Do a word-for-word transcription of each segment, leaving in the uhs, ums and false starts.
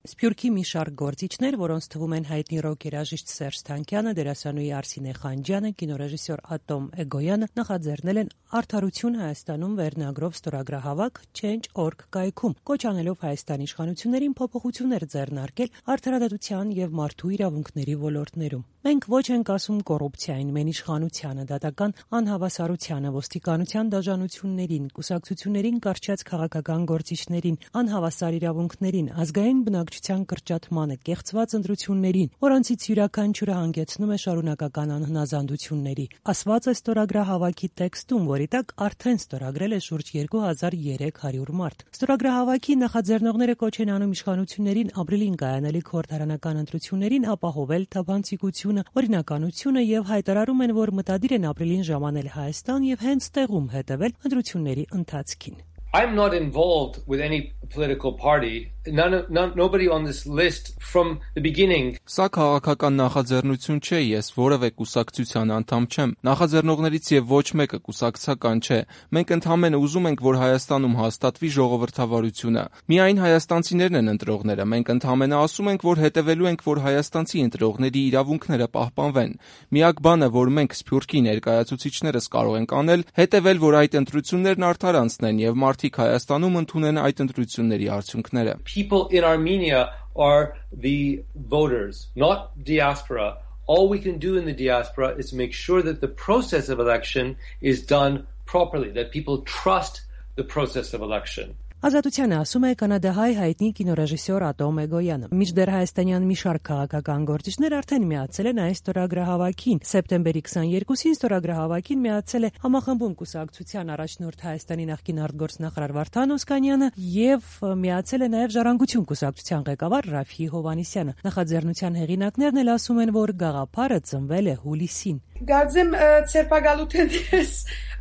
Սփյուռքի մի շարք գործիչներ, որոնց թվում են հայտնի ռոք երաժիշտ Սերժ Թանկյանը, դերասանուհի Արսինե Խանջյանը, կինոռեժիսոր Ատոմ Էգոյանը նախաձեռնել են «Արդարություն Հայաստանում» վերնագրով ստորագրահավաք Change dot org կայքում, կոչ անելով Հայաստանի իշխանություններին փոփոխություններ ձեռնարկել արդարադատության եւ մարդու իրավունքների ոլորտներում։ Մենք ոչ ենք ասում կոռուպցիային, մեն իշխանությանը, դատական անհավասարությանը, ոստիկանության դաժանություններին, կուսակցություններին կարճած քաղաքական գործիչներին, անհավասար իրավունքներին, ազգային բնակչության կրճատմանը, կեղծված ընտրություններին, որոնցից յուրաքանչյուրը հանգեցնում է շարունակական անհնազանդությունների, ասված է ստորագրահավաքի տեքստում, որի տակ արդեն ստորագրել է շուրջ երկու հազար երեք հարյուր մարդ։ Ստորագրահավաքի նախաձեռնողները կոչ են անում իշխանություններին ապրիլին կայանալիք խորհրդարանական ընտրություններին ապահովել թափանցիկությունը, օրինականությունը եւ հայտարարում են, որ մտադիր են ապրիլին ժամանել Հայաստան եւ հենց տեղում հետեւել ընտրությունների ընթացքին։ I'm not involved with any political party. None, of, none, nobody on this list from the beginning. Սա քաղաքական նախաձեռնություն չէ, ես որևէ կուսակցության անդամ չեմ։ Նախաձեռնողներից եւ ոչ մեկը կուսակցական չէ։ Մենք ընդհանրապես ուզում ենք, որ Հայաստանում հաստատվի ժողովրդավարությունը։ Միայն հայաստանցիներն են ընտրողները։ Մենք ընդհանրապես ասում ենք, որ հետևելու ենք, որ հայաստանցի ընտրողների իրավունքները պահպանվեն։ Միակ բանը, որ մենք Սփյուռքի ներկայացուցիչներս կարող ենք անել, հետևել, որ այդ ընտրություններն արդար անցնեն եւ մարդիկ Հայաստանում ընդունեն այդ ընտրությունների արդյունքները։ People in Armenia are the voters, not diaspora. All we can do in the diaspora is make sure that the process of election is done properly, that people trust the process of election. Ազատությանը ասում է կանադահայ հայտնի կինոռեժիսոր Ատոմ Էգոյանը։ Մինչդեռ հայաստանյան մի շարք քաղաքական գործիչներ արդեն միացել են այս ստորագրահավաքին։ Սեպտեմբերի քսաներկուսին ստորագրահավաքին միացել է Համախմբում կուսակցության առաջնորդ Հայաստանի նախկին արտգործնախարար Վարդան Օսկանյանը եւ միացել է նաեւ Ժառանգություն կուսակցության ղեկավար Ռաֆի Հովհաննիսյանը։ Նախաձեռնության հեղինակներն էլ ասում են, որ գաղափարը ծնվել է հուլիսին։ Գարձեմ ցերպակալութենից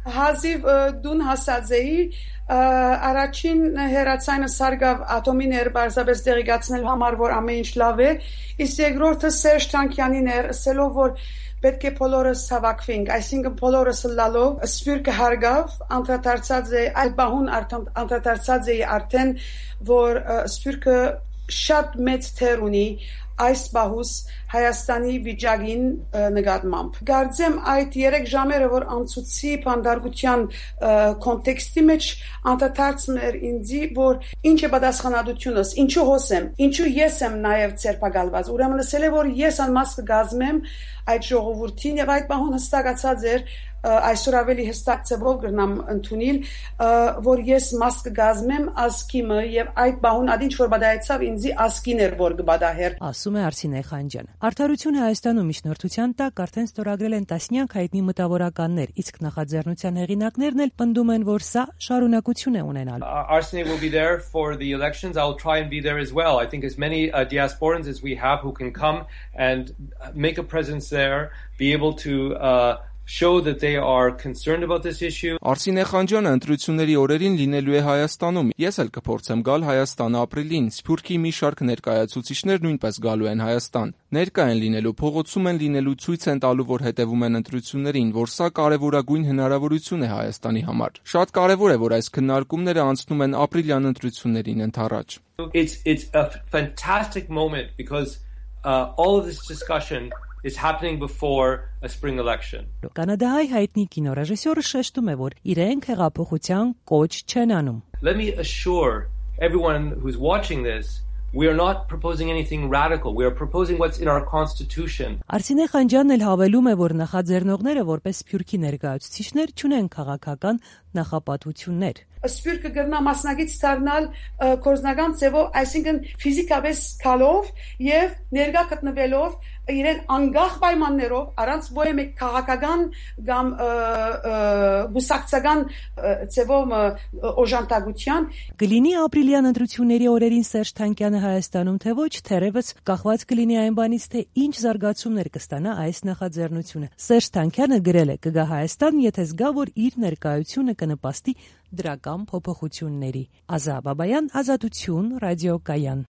հազիվ դուն հասած էի առաջին հերացայինը սարգավ ատոմի ներբարձաբես դեղիգացնել համար, որ ամեն ինչ լավ է, իսկ երկրորդը Սերժ Թանկյանին էր, ասելով, որ պետք է բոլորս հավաքվենք, այսինքն բոլորս լալով Սփյուռքը հարգավ, անդրադարձած է այդ բահուն անդրադարձած է արդեն, որ Սփյուռքը շատ մեծ թեր ունի այս բահուս Հայաստանի վիճակին նկատմամբ։ Գարձեմ այդ երեք ժամերը, որ անցուցի փանդարգության կոնտեքստի մեջ անդրադարձում էր ինձի, որ ինչ է պատասխանատվությունս, ինչու հոսեմ, ինչու ես եմ նաև ցերպակալված։ Ուրեմն ասել է, որ ես անմաս կգազմեմ այդ ժողովրդին եւ այդ բահուն հստակացած էր այսօր ավելի հստակ ծավալ կգնամ ընդունել, որ ես մաս կգազմեմ ասկիմը եւ այդ բահուն ադինչ որ բադայեցավ ինձի ասկին էր որ կբադահեր։ Ասում է Արսինե Խանջյանը։ Արդարությունը Հայաստանում միջնորդության տակ արդեն ստորագրել են տասնյակ հայտնի մտավորականներ, իսկ նախաձեռնության հեղինակներն էլ պնդում են, որ սա շարունակություն է ունենալու։ Arsenal will be there for the elections. I will try and be there as well. I think as many uh, diasporans as we have who can come and make a presence there, be able to uh, show that they are concerned about this issue. Արսինե Խանջյանը ընտրությունների օրերին լինելու է Հայաստանում։ Ես էլ կփորձեմ գալ Հայաստան ապրիլին։ Սփյուռքի մի շարք ներկայացուցիչներ նույնպես գալու են Հայաստան։ Ներկա են լինելու, փողոցում են լինելու, ցույց են տալու, որ հետևում են ընտրություններին, որ սա կարևորագույն հնարավորություն է Հայաստանի համար։ Շատ կարևոր է, որ այս քննարկումները անցնում են ապրիլյան ընտրություններին ընդառաջ։ It's it's a fantastic moment because uh, all of this discussion is happening before a spring election. Կանադահայ հայտնի կինոռեժիսորը շեշտում է, որ իրենք հեղափոխության կոչ չեն անում։ Let me assure everyone who's watching this, we are not proposing anything radical. We are proposing what's in our constitution. Արսինե Խանջյանն էլ հավելում է, որ նախաձեռնողները որպես Սփյուռքի ներկայացուցիչներ չունեն քաղաքական նախապատվություններ։ Սփյուռքը գրնա մասնագետ դառնալ կորզնական ձևով, այսինքն ֆիզիկապես քալով եւ ներգա գտնվելով իրեն անգախ պայմաններով առանց ովը քաղաքական կամ բուսակցական ձևով օժանդակության կլինի ապրիլյան ընտրությունների օրերին Սերժ Թանկյանը Հայաստանում թե ոչ, թերևս կախված կլինի այն բանից, թե ինչ զարգացումներ կստանա այս նախաձեռնությունը։ Սերժ Թանկյանը գրել է կգա Հայաստան, եթե զգա, որ իր ներկայությունը կնպաստի դրական փոփոխությունների։ Ազա Բաբայան, Ազատություն, ռադիոկայան։